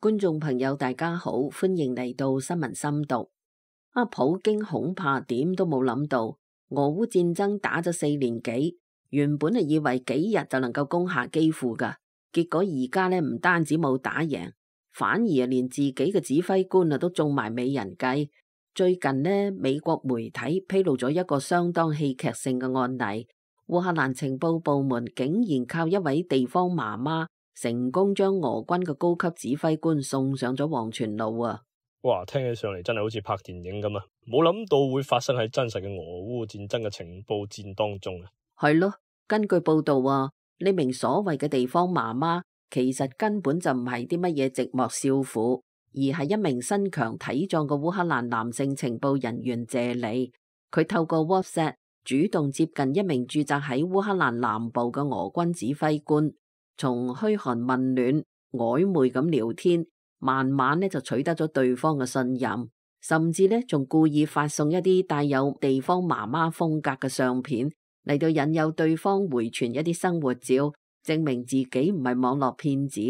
觀眾朋友大家好，歡迎嚟到新聞深讀。普京恐怕點都冇諗到，俄烏戰爭打咗4年幾，原本係以為幾日就能夠攻下基輔噶，結果而家呢唔單止冇打贏，反而連自己嘅指揮官都中埋美人計。最近呢，美國媒體披露咗一個相當戲劇性嘅案例，烏克蘭情報部門竟然靠一位地方媽媽成功將俄軍嘅高級指揮官送上咗黃泉路啊！哇，聽起上嚟真係好似拍電影咁啊！冇諗到會發生喺真實嘅俄烏戰爭嘅情報戰當中啊！係咯，根據報道啊，呢名所謂嘅地方媽媽其實根本就唔係啲乜嘢寂寞少婦，而係一名身強體壯嘅烏克蘭男性情報人員謝里。佢透過 WhatsApp 主動接近一名駐紮喺烏克蘭南部嘅俄軍指揮官，從噓寒問暖、曖昧咁聊天，慢慢就取得咗對方嘅信任，甚至仲故意發送一啲帶有地方媽媽風格嘅相片嚟到引誘對方回傳一啲生活照，證明自己唔係網絡騙子。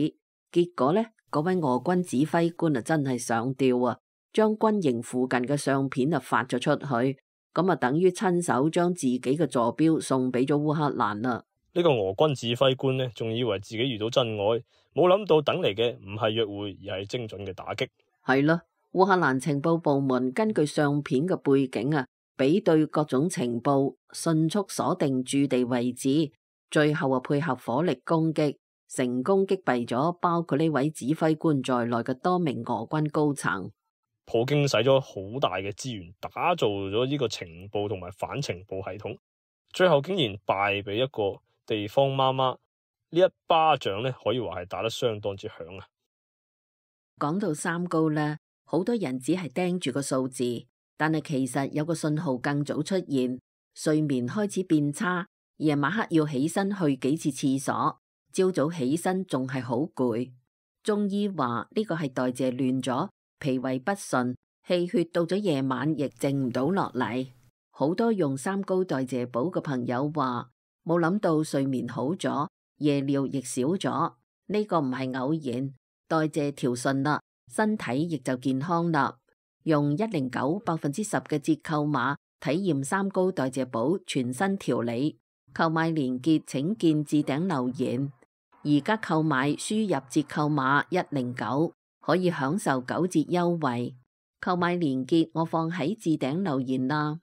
結果嗰位俄軍指揮官真係上吊啊，將軍營附近嘅相片發咗出去，咁等於親手將自己嘅坐標送俾咗烏克蘭啦。呢個俄軍指揮官呢，仲以為自己遇到真愛，冇諗到等嚟嘅唔係約會，而係精準嘅打擊。係咯，烏克蘭情報部門根據相片嘅背景比對各種情報，迅速鎖定駐地位置，最後配合火力攻擊，成功擊斃咗包括呢位指揮官在內嘅多名俄軍高層。普京使咗好大嘅資源打造咗呢個情報同埋反情報系統，最後竟然敗俾一個地方媽媽，呢一巴掌可以話係打得相當之響啊！講到三高呢，好多人只係盯住個數字，但係其實有個信號更早出現，睡眠開始變差，夜晚黑要起身去幾次廁所，朝早起身仲係好攰。中醫話呢個係代謝亂咗，脾胃不順，氣血到咗夜晚亦靜唔到落嚟。好多用三高代謝補嘅朋友話，冇諗到睡眠好咗，夜尿亦少咗，呢個唔係偶然，代謝調順啦，身體亦就健康啦。用109%嘅折扣碼體驗三高代謝補全新調理，購買鏈接請見置頂留言。而家購買輸入折扣碼109可以享受9折優惠，購買鏈接我放喺置頂留言啦。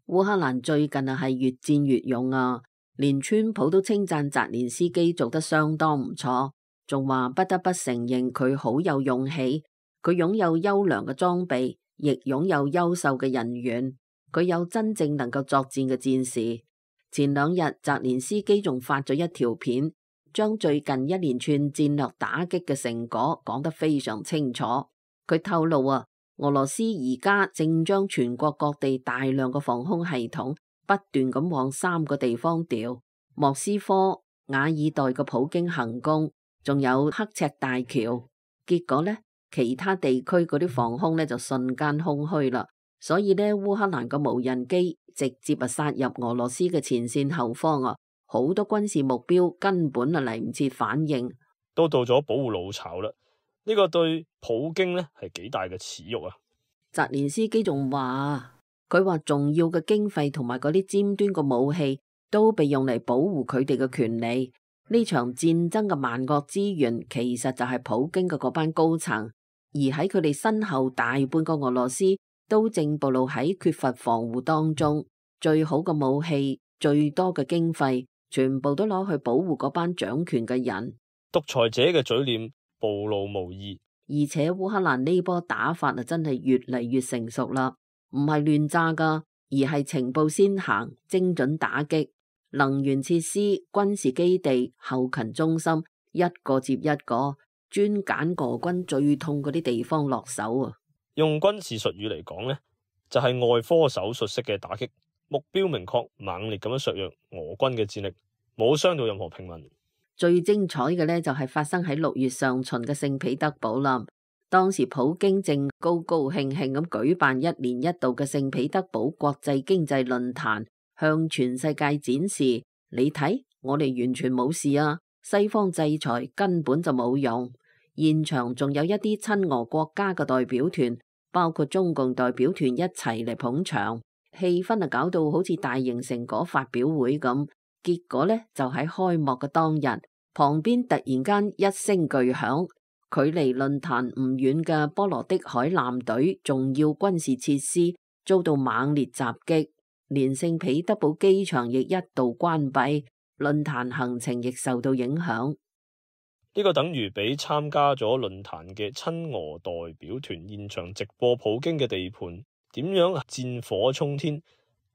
烏克蘭最近係越戰越勇啊，連川普都稱讚澤連斯基做得相當唔錯，仲話不得不承認佢好有勇氣，佢擁有優良嘅裝備，亦擁有優秀嘅人員，佢有真正能夠作戰嘅戰士。前2日澤連斯基仲發咗一條片，將最近一連串戰略打擊嘅成果講得非常清楚。佢透露俄羅斯而家正將全國各地大量嘅防空系統不斷咁往3個地方調，莫斯科、瓦爾代嘅普京行宮，仲有刻赤大橋。結果其他地區嗰啲防空就瞬間空虛啦。所以烏克蘭嘅無人機直接殺入俄羅斯嘅前線後方好多軍事目標根本嚟唔切反應，都到咗保護老巢啦。呢個對普京係幾大嘅恥辱啊！澤連斯基仲話，佢話重要嘅經費同埋嗰啲尖端嘅武器都被用嚟保護佢哋嘅權利。呢場戰爭嘅萬惡之源其實就係普京嘅嗰班高層，而喺佢哋身後大半個俄羅斯都正暴露喺缺乏防護當中。最好嘅武器、最多嘅經費，全部都攞去保護嗰班掌權嘅人。獨裁者嘅嘴臉暴露無遺，而且烏克蘭呢波打法真係越嚟越成熟啦，唔係亂炸噶，而係情報先行，精準打擊，能源設施、軍事基地、後勤中心一個接一個，專揀俄軍最痛嗰啲地方落手啊！用軍事術語嚟講就係外科手術式嘅打擊，目標明確，猛烈咁樣削弱俄軍嘅戰力，冇傷到任何平民。最精彩嘅就係發生喺6月上旬嘅聖彼得堡啦。當時普京正高高興興咁舉辦1年1度嘅聖彼得堡國際經濟論壇，向全世界展示，你睇我哋完全冇事啊，西方制裁根本就冇用。現場仲有一啲親俄國家嘅代表團，包括中共代表團一齊嚟捧場，氣氛啊搞到好似大型成果發表會咁。結果呢，就喺開幕嘅當日，旁邊突然間一聲巨響，距離論壇唔遠嘅波羅的海艦隊重要軍事設施遭到猛烈襲擊，連聖彼得堡機場亦一度關閉，論壇行程亦受到影響。呢個等於俾參加咗論壇嘅親俄代表團現場直播普京嘅地盤點樣戰火沖天，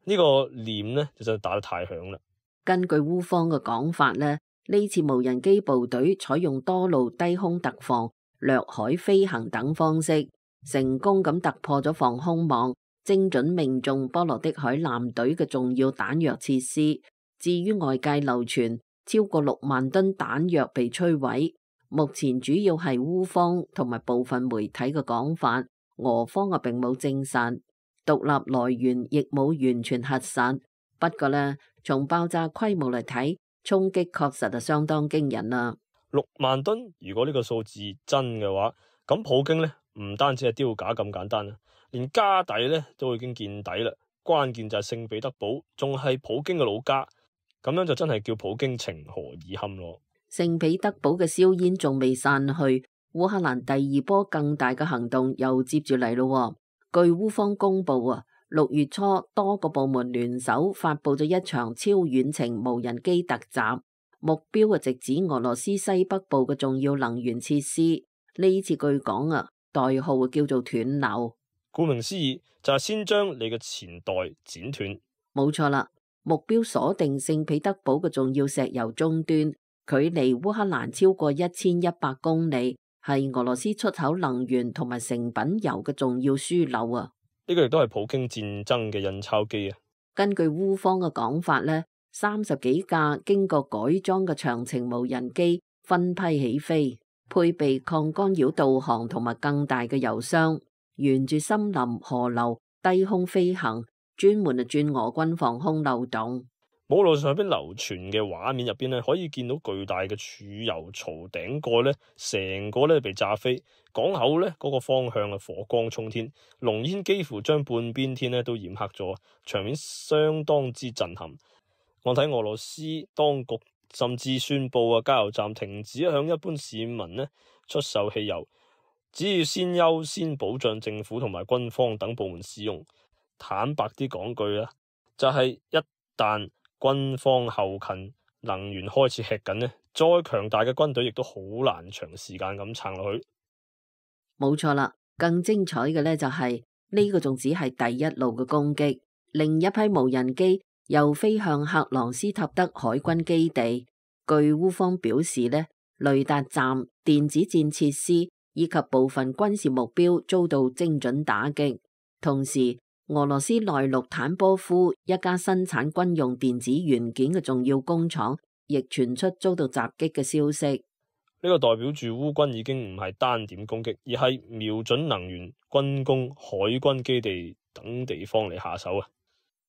呢個臉呢就真係打得太響啦。根據烏方嘅講法呢，呢次無人機部隊採用多路低空特防、掠海飛行等方式，成功咁突破咗防空網，精準命中波羅的海艦隊嘅重要彈藥設施。至於外界流傳超過6萬噸彈藥被摧毀，目前主要係烏方同埋部分媒體嘅講法，俄方並冇證實，獨立來源亦冇完全核實。不過呢，從爆炸規模嚟睇，衝擊確實係相當驚人啦。6萬噸，如果呢個數字真嘅話，咁普京呢唔單止係丟架咁簡單啦，連家底呢都已經見底啦。關鍵就係聖彼得堡仲係普京嘅老家。咁樣就真係叫普京情何以堪咯。聖彼得堡嘅硝煙仲未散去，烏克蘭第二波更大嘅行動又接住嚟咯。據烏方公布啊，6月初多個部門聯手發佈咗一場超遠程無人機突襲，目標直指俄羅斯西北部嘅重要能源設施。呢次據講啊，代號叫做斷流。顧名思義，就係先將你嘅錢袋剪斷。冇錯啦。目標鎖定聖彼得堡嘅重要石油終端，距離烏克蘭超過1100公里，係俄羅斯出口能源同埋成品油嘅重要樞紐啊！呢個亦都係普京戰爭嘅印鈔機啊！根據烏方嘅講法呢，30幾架經過改裝嘅長程無人機分批起飛，配備抗干擾導航同埋更大嘅油箱，沿住森林、河流低空飛行。專門鑽俄軍防空漏洞。網絡上邊流傳嘅畫面入邊咧，可以見到巨大嘅儲油槽頂蓋咧，成個咧被炸飛，港口咧嗰個方向啊火光衝天，濃煙幾乎將半邊天咧都染黑咗，場面相當之震撼。我睇俄羅斯當局甚至宣布啊，加油站停止向一般市民咧出售汽油，只要先優先保障政府同埋軍方等部門使用。坦白啲講句啦，就係一旦軍方後勤能源開始吃緊呢，再強大嘅軍隊亦都好難長時間咁撐落去。冇錯啦，更精彩嘅呢就係呢個仲只係第一路嘅攻擊，另一批無人機又飛向克朗斯塔德海軍基地。據烏方表示呢，雷達站、電子戰設施以及部分軍事目標遭到精準打擊，同時俄羅斯內陸坦波夫一家生產軍用電子元件嘅重要工廠，亦傳出遭到襲擊嘅消息。呢個代表住烏軍已經唔係單點攻擊，而係瞄準能源、軍工、海軍基地等地方嚟下手啊！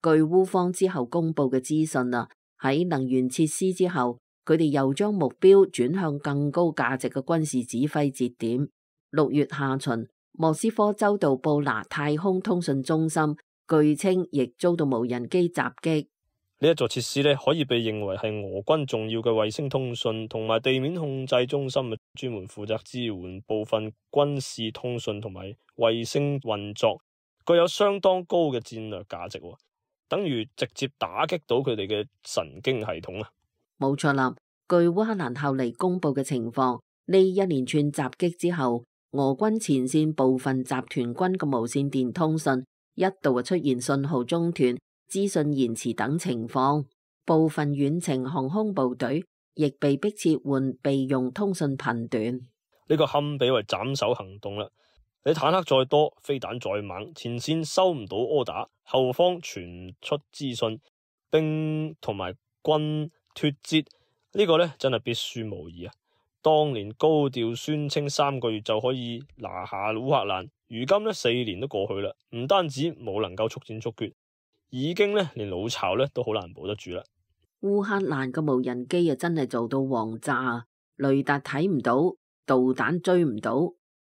據烏方之後公布嘅資訊啊，喺能源設施之後，佢哋又將目標轉向更高價值嘅軍事指揮節點。6月下旬，莫斯科州道布拿太空通訊中心據稱亦遭到無人機襲擊。呢一座設施咧，可以被認為係俄軍重要嘅衛星通訊同埋地面控制中心，專門負責支援部分軍事通訊同埋衛星運作，具有相當高嘅戰略價值，等於直接打擊到佢哋嘅神經系統啊！冇錯啦，據烏克蘭後嚟公布嘅情況，呢一連串襲擊之後，俄軍前線部分集團軍嘅無線電通訊一度出現信號中斷、資訊延遲等情況，部分遠程航空部隊亦被迫切換備用通訊頻段。呢個堪比為斬首行動啦！你坦克再多，飛彈再猛，前線收唔到柯打，後方傳出資訊，兵同埋軍脫節，呢個呢真係必輸無疑啊！當年高調宣稱3個月就可以拿下烏克蘭，如今呢4年都過去啦，唔單止冇能夠速戰速決，已經呢連老巢呢都好難保得住啦。烏克蘭嘅無人機啊，真係做到王炸，雷達睇唔到，導彈追唔到，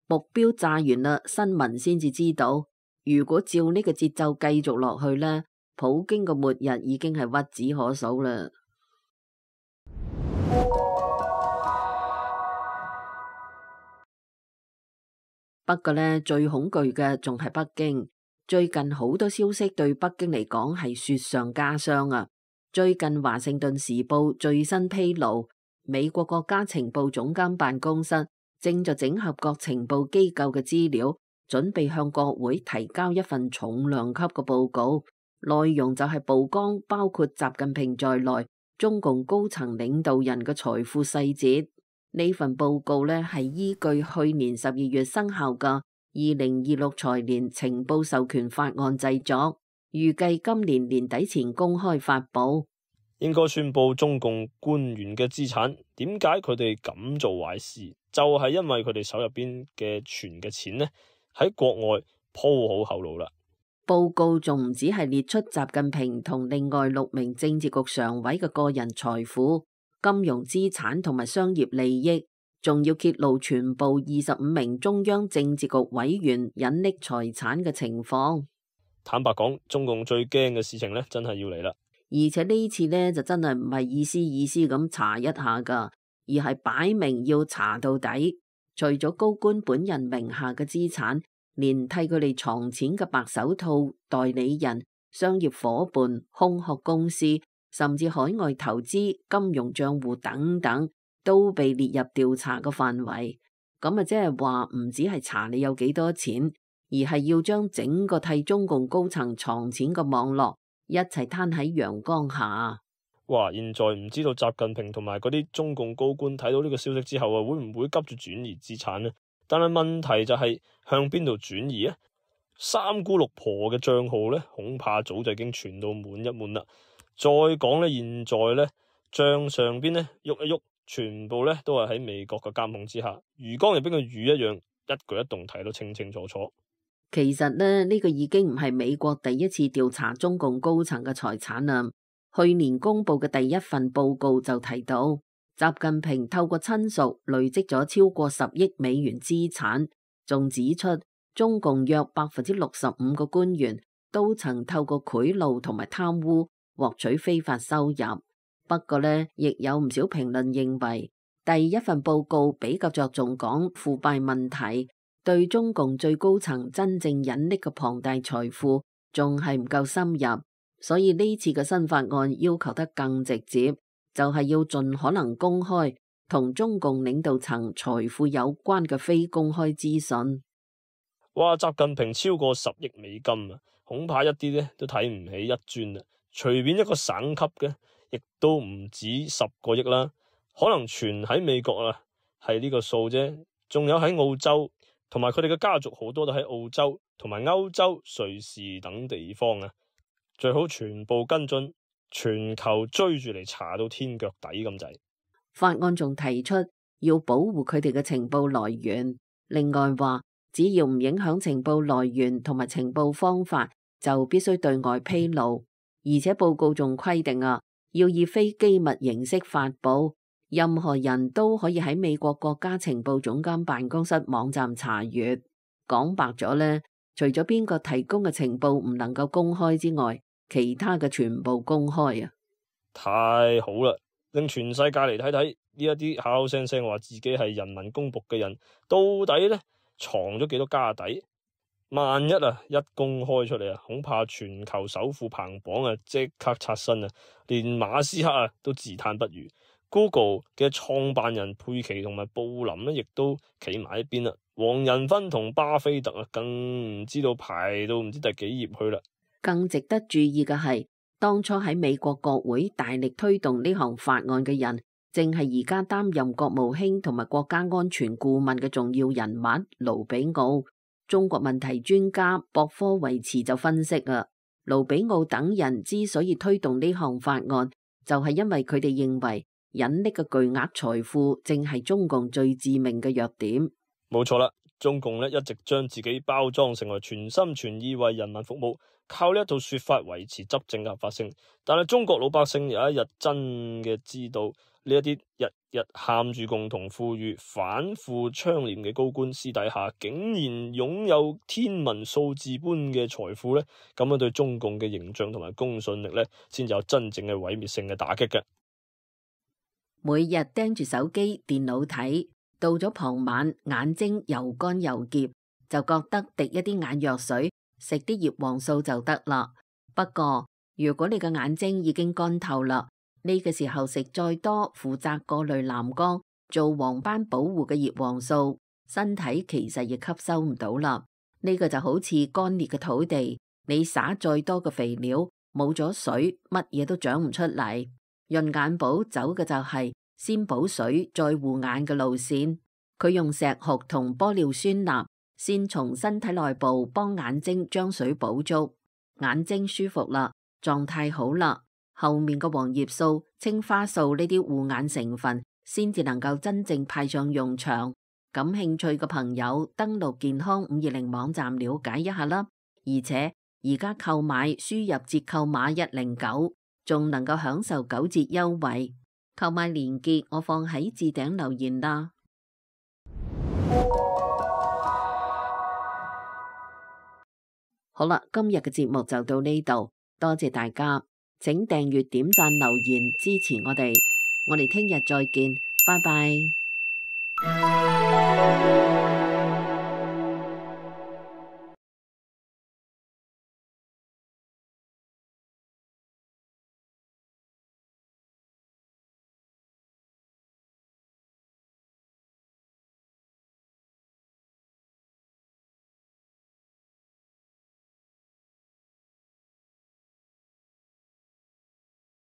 目標炸完啦，新聞先至知道。如果照呢個節奏繼續落去呢，普京嘅末日已經係屈指可數啦。不過呢，最恐懼嘅仲係北京。最近好多消息對北京嚟講係雪上加霜啊！最近華盛頓時報最新披露，美國國家情報總監辦公室正在整合各情報機構嘅資料，準備向國會提交一份重量級嘅報告，內容就係曝光包括習近平在內中共高層領導人嘅財富細節。呢份報告呢係依據去年12月生效嘅2026財年情報授權法案製作，預計今年年底前公開發佈。應該宣佈中共官員嘅資產，點解佢哋咁做壞事？就係因為佢哋手入邊嘅存嘅錢呢，喺國外鋪好後路啦。報告仲唔止係列出習近平同另外6名政治局常委嘅個人財富、金融資產同埋商業利益，仲要揭露全部25名中央政治局委員隱匿財產嘅情況。坦白講，中共最驚嘅事情呢，真係要嚟啦。而且呢次呢，就真係唔係意思咁查一下噶，而係擺明要查到底。除咗高官本人名下嘅資產，連替佢哋藏錢嘅白手套、代理人、商業夥伴、空殼公司，甚至海外投資、金融賬戶等等，都被列入調查嘅範圍。咁啊，即係話唔止係查你有幾多錢，而係要將整個替中共高層藏錢嘅網絡一齊攤喺陽光下。哇！現在唔知道習近平同埋嗰啲中共高官睇到呢個消息之後啊，會唔會急住轉移資產呢？但係問題就係向邊度轉移啊？三姑六婆嘅賬號呢，恐怕早就已經傳到滿一滿啦。再講呢，現在呢，賬上邊呢喐一喐，全部呢都係喺美國嘅監控之下，魚缸入邊嘅魚一樣，一舉一動睇到清清楚楚。其實呢個已經唔係美國第一次調查中共高層嘅財產啦。去年公布嘅第一份報告就提到，習近平透過親屬累積咗超過10億美元資產，仲指出中共約65%嘅官員都曾透過賄賂同埋貪污獲取非法收入。不過呢，亦有唔少評論認為，第一份報告比較着重講腐敗問題，對中共最高層真正隱匿嘅龐大財富仲係唔夠深入。所以呢次嘅新法案要求得更直接，就係要盡可能公開同中共領導層財富有關嘅非公開資訊。哇！習近平超過10億美金啊，恐怕一啲呢都睇唔起一尊啊。隨便一個省級嘅，亦都唔止10個億啦。可能全喺美國啊，係呢個數啫。仲有喺澳洲，同埋佢哋嘅家族好多都喺澳洲同埋歐洲、瑞士等地方啊。最好全部跟進，全球追住嚟查到天腳底咁滯。法案仲提出要保護佢哋嘅情報來源，另外話只要唔影響情報來源同埋情報方法，就必須對外披露。而且報告仲規定啊，要以非機密形式發佈，任何人都可以喺美國國家情報總監辦公室網站查閱。講白咗呢，除咗邊個提供嘅情報唔能夠公開之外，其他嘅全部公開啊！太好啦，令全世界嚟睇睇呢一啲口口聲聲話自己係人民公僕嘅人，到底呢藏咗幾多家底？萬一啊一公開出嚟啊，恐怕全球首富排行榜啊即刻刷新啊，連馬斯克啊都自嘆不如。Google 嘅創辦人佩奇同埋布林呢，亦都企埋一邊啦。黃仁勳同巴菲特啊，更唔知道排到唔知第幾頁去啦。更值得注意嘅係，當初喺美國國會大力推動呢項法案嘅人，正係而家擔任國務卿同埋國家安全顧問嘅重要人物盧比奧。中國問題專家博科維茨就分析啊，盧比奧等人之所以推動呢項法案，就係因為佢哋認為隱匿嘅巨額財富正係中共最致命嘅弱點。冇錯啦，中共一直將自己包裝成為全心全意為人民服務，靠呢一套說法維持執政嘅合法性。但係中國老百姓有一日真嘅知道，呢一啲日日喊住共同富裕、反腐倡廉嘅高官，私底下竟然擁有天文數字般嘅財富呢，咁樣對中共嘅形象同埋公信力呢，先有真正嘅毀滅性嘅打擊嘅。每日盯住手機、電腦睇，到咗傍晚眼睛又乾又澀，就覺得滴一啲眼藥水，食啲葉黃素就得啦。不過如果你嘅眼睛已經乾透啦，呢個時候食再多負責過濾藍光、做黃斑保護嘅葉黃素，身體其實亦吸收唔到啦。呢個就好似乾裂嘅土地，你撒再多嘅肥料，冇咗水，乜嘢都長唔出嚟。潤眼寶走嘅就係先補水再護眼嘅路線，佢用石斛同玻尿酸鈉先從身體內部幫眼睛將水補足，眼睛舒服啦，狀態好啦，後面嘅黃葉素、青花素呢啲護眼成分先至能夠真正派上用場。感興趣嘅朋友登錄健康520網站了解一下啦，而且而家購買輸入折扣碼109，仲能夠享受9折優惠。購買鏈接我放喺置頂留言啦。好啦，今日嘅節目就到呢度，多謝大家，請訂閱、點讚、留言支持我哋。我哋聽日再見，拜拜。